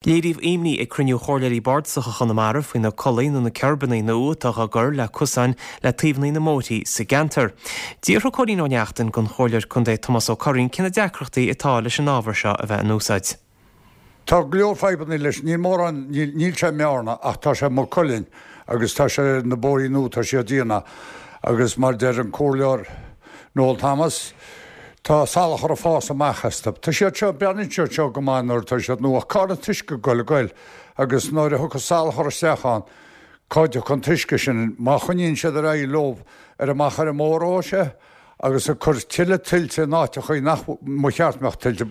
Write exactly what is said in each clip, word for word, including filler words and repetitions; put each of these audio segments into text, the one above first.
Léiríodh imní ag cruinniú Chomhairleoirí Bardasacha Chonamara faoi na culaí nó na kerbanna nua atá á gcur le cosáin le taobhanna na mbóithrí sa gceantar. D'fhiafraigh Cóilín Ó Neachtain den Chomhairleoir Contae Tomás Ó Curraoin cé na deacrachtaí atá leis an ábhar seo a bheith in úsáid. Tá go leor fadhbanna leis níl mórán níl sé i mBearna ach tá sé i Maigh Cuilinn agus tá sé na bóithrí nua tá siad déanta agus mar deir an Comhairleoir Noel Thomas, Tá salachar ag fás amach astu. Tá siad seo, breathnaíonn siad seo go maith nuair atá siad nua ach cá bhfuil an t-uisce ag goil ag goil agus nuair a thiocfas salachar isteach ann, cá dtiocfaidh an t-uisce sin? Má choinníonn siad ar aghaidh leo ar amach ar an mbóthar ó sé agus ag cur tuilleadh tuilte in áiteachaí nach mba cheart mbeadh tuilte.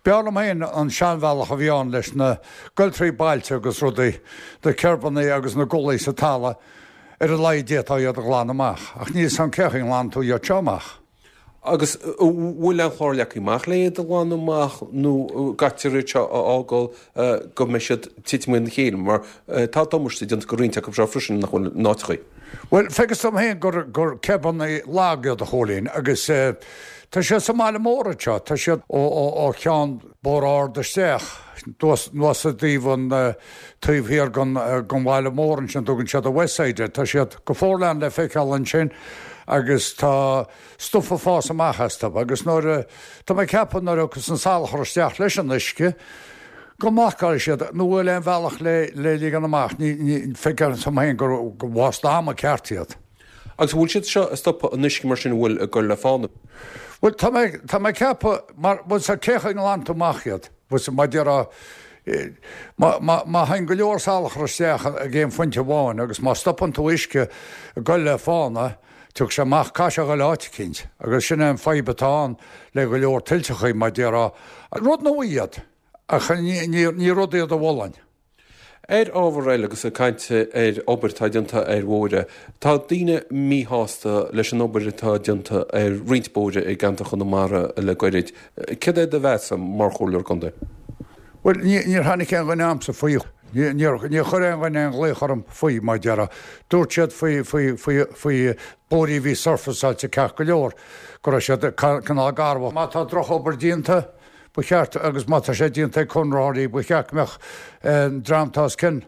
B'fhearr liom féin an seanbhealach a bhí ann leis na goil trí bailte agus rudaí, na kerbanna agus na gulaí sa talamh, ar a laghad d'fhéadfá iad a ghlanadh amach. Ach níl 's a'm cén chaoi a nglanann tú iad seo amach. Agus an bhfuil aon chlár leagtha amach le iad a ghlanadh amach nó caithfear iad seo a fhágáil go mbeidh siad ag titim ina chéile mar tá damáiste déanta go roinnt acu seo freisin nach bhfuil in áiteachaí. Bhuel, feictear dom féin gur gur kerbanna lag iad a Chóilín agus tá siad sa mbaile mór anseo, tá siad ó ó ó cheann Bóthar Ard isteach anuas i dtaobh an taobh thiar den den bhaile mór ansin, tugann siad an West Side air, tá siad go forleathan le feiceáil ansin agus tá stuif ag fás amach astu agus nuair a, tá mé ag ceapadh nuair a thiocfas an salachar isteach leis an uisce go mblocálfaidh siad, nó bhfuil aon bhealach le, le ligean amach, ní, ní, feictear dom féin gur, gur waste ama ceart iad. Agus an bhfuil siad seo ag stopadh an uisce mar sin a bhfuil ag goil le fána? Bhuel, tá mé, tá mé ag ceapadh, mar, bhuel, sa cén chaoi a nglanann tú amach iad? Bhuel, sa, mar déarfá, má, má, má théann go leor salachar isteach ag aon phointe amháin agus má stopann tú uisce ag goil le fána, Tiocfaidh sé amach, caithfidh sé a ghoil áit eicínt, agus sin é an fadhb atá ann le go leor tuilteachaí, mar déarfá. Rud nua iad, ach ní rud iad a mholfainn. Ar ábhar eile, agus ag caint ar obair atá déanta ar bhóithre, tá daoine míshásta leis an obair atá déanta ar roinnt bóithre i gceantar Chonamara le goirid. Céard é do mheas mar Chomhairleoir Contae? Bhuel, níor tháinig aon dhuine a'msa faoi. Níor chuir aon dhuine aon ghlaoch orm faoi, mar déarfá. Dúirt siad faoi, faoi, faoi, faoi bóithrí a bhí surfaceáilte ceart go leor, go raibh siad cineál garbh. Má tá drochobair déanta, ba cheart, agus má tá sé déanta ag conraitheoirí, ba cheart go mbeadh an dream atá os cionn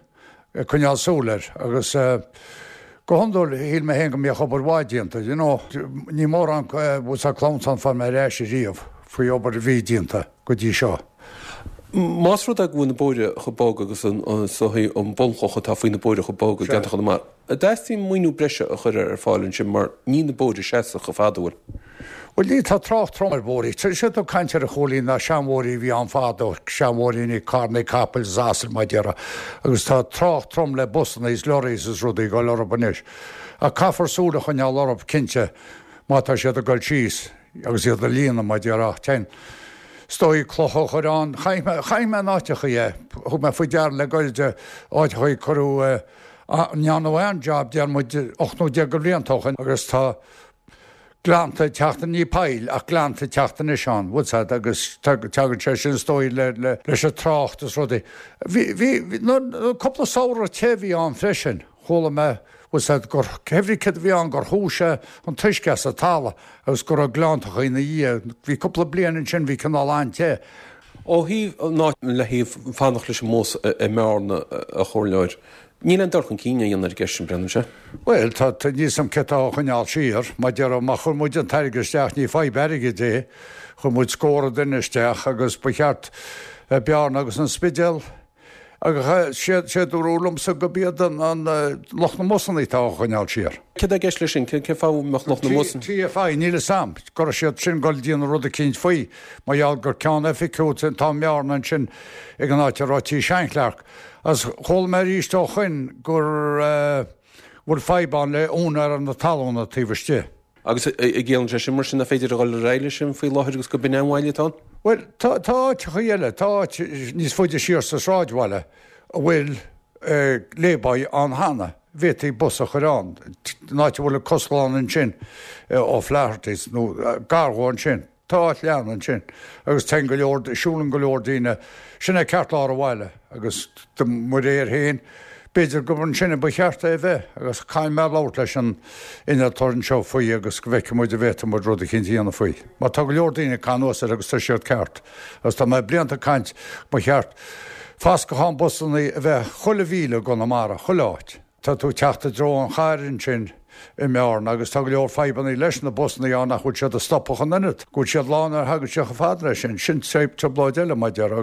ag coinneáil súil air. Agus go hiondúil, shíl mé féin go mbíodh obair mhaith déanta, you know. Ní mórán, bhfuil 's a'd, clamhsán a fuair mé ar ais ariamh faoi obair a bhí déanta go dtí seo. Más rud é go bhfuil na bóithre chomh bog agus an an bunchloch atá faoi na bóithre chomh bog i gceantar Chonamara, an dteastaíonn maoiniú breise a chur ar fáil ansin mar níl na bóithre seasmhach chomh fada, an bhfuil? Bhuel, ní, tá trácht trom ar bhóithrí. Tá siad ag caint ar a Chóilín ná seanbhóithrí a bhí ann fadó, seanbhóithríní, carrannaí capaill is asail mar déarfá, agus tá trácht trom le busanna is lorries is rudaí ag dul orthu anois. Ach caithfear súil a choinneáil orthu, cinnte, má tá siad ag dul síos agus iad a líonadh mar déarfá. Téann. Is dóigh clocha a chur ann. Chonaic mé, chonaic mé in áiteachaí é. Thug mé faoi deara le goirid áiteachaí cuireadh, ndearnadh aon job déarfaidh muid ocht nó deich de bhlianta ó shin agus tá gleannta ag teacht, ní poill ach gleannta ag teacht anois ann, bhfuil 's a'd, agus tagann sé sin is dóigh le, le, leis an trácht is rudaí. Bhí, bhí, bhí, cúpla samhradh te a bhí ann freisin. Chuala mé, bhfuil 's a'd, gur, cé bhrí céard a bhí ann, gur shú sé an t-uisce as an talamh agus go raibh gleanntachaí ina dhiaidh. Bhí cúpla bliain ansin, bhí cineál an-te. Ó thaobh ná le thaobh fanacht leis an mbus i mBearna, a Chomhairleoir, níl aon dul chun cinn á dhéanamh ar an gceist sin, breathnaíonn sé. Bhuel, tá, tá, níl 's a'm cé tá á choinneáil siar. Mar déarfá, má chuir muid an t-airgead isteach, ní fadhb airgid é, chuir muid scór duine isteach agus ba cheart Bearna agus an Spidéal, Agus sé dúradh liomsa gurb iad an lucht na mbusanna atá á choinneáil siar. Céard é i gceist leis sin? Cén fáth a mbeadh lucht na mbusanna? TFI, níl 'fhios a'm go raibh siad sin ag dul ag déanamh rud eicínt faoi, mar gheall gur ceann oifigiúil atá i mBearna ansin ag an áit a raibh Tí Sean-Chlarke. Agus chuala mé arís ó shoin go bhfuil fadhb ann le úinéir na talúna taobh istigh. Agus an gciallaíonn sé sin mar sin nach féidir a dhul ar aghaidh leis sin faoi láthair agus gurb in é an mhoill atá ann? Bhuel, tá tá áiteachaí eile, tá áit níos faide siar sa sráidbhaile a bhfuil lay-by ann cheana, bhféadfaí bus a chur ann, an áit a bhfuil an caisleán ansin, O'Flaherty's nó gar dhó ansin. Tá áit leathan ansin agus téann go leor, siúlann go leor daoine, sin é ceartlár an bhaile agus de mo réir féin, b'fhéidir gurb ansin a ba cheart é a bheith agus caithfidh mé labhairt leis an innealtóir anseo faoi agus go bhfeicfidh muid an bhféadfaidh muid rud eicínt a dhéanamh faoi. Mar tá go leor daoine ag cur anuas air agus tá siad ceart agus tá mé blianta ag caint ba cheart Fascachán busannaí a bheith chuile mhíle i gConamara, chuile áit. Tá tú ag teacht i dtreo an chairr ansin i mBearna agus tá go leor fadhbannaí leis na busannaí ann nach bhfuil siad ag stopadh an oiread, go bhfuil siad lán nuair a thagann siad chomh fada leis sin. Sin trioblóid eile, mar a déarfá.